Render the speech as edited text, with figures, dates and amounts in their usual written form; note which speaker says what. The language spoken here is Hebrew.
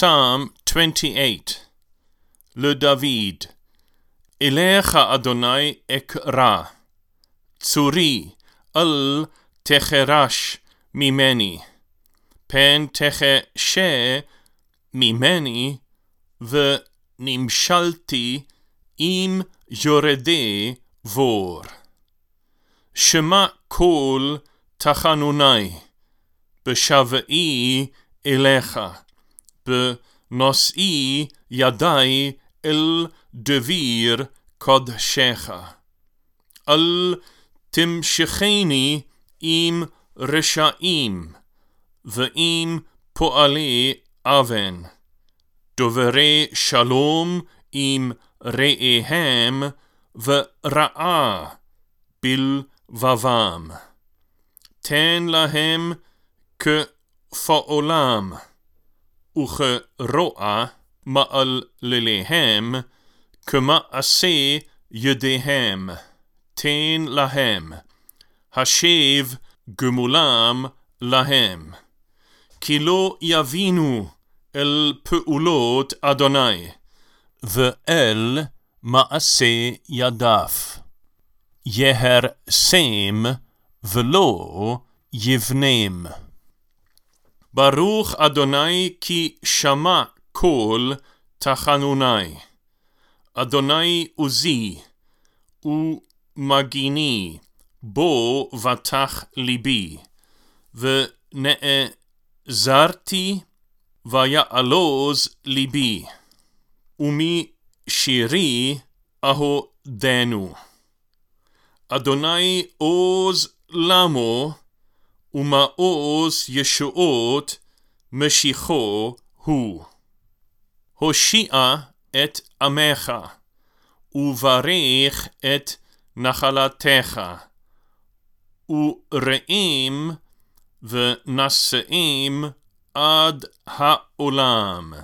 Speaker 1: Psalm 28. לדוד. אליך אדוני אקרא, צורי אל תחרש ממני, פן תחשה ממני, ונמשלתי עם יורדי בור. שמע קול תחנוני, בשבעי אליך, בנושאי ידי אל דביר קודשך. אל תמשכני עם רשעים, ועם פועלי אבן, דוברי שלום עם רעיהם, ורעה בלבבם. תן להם כפועלם, וכרוע מעלליהם, כמעשה ידיהם. תן להם, השב גמולם להם. כי לא יבינו אל פעולות אדוני, ואל מעשה ידיו. יהרסם ולא יבנם. ברוך אדוני כי שמע קול תחנוני. אדוני עוזי ומגיני, בו בטח ליבי. ונעזרתי ויעלוז ליבי, ומשירי אהודנו. אדוני עוז למו, ומעוז ישועות משיחו הוא. הושיע את עמך, וברך את נחלתך, ורעים ונשאים עד העולם.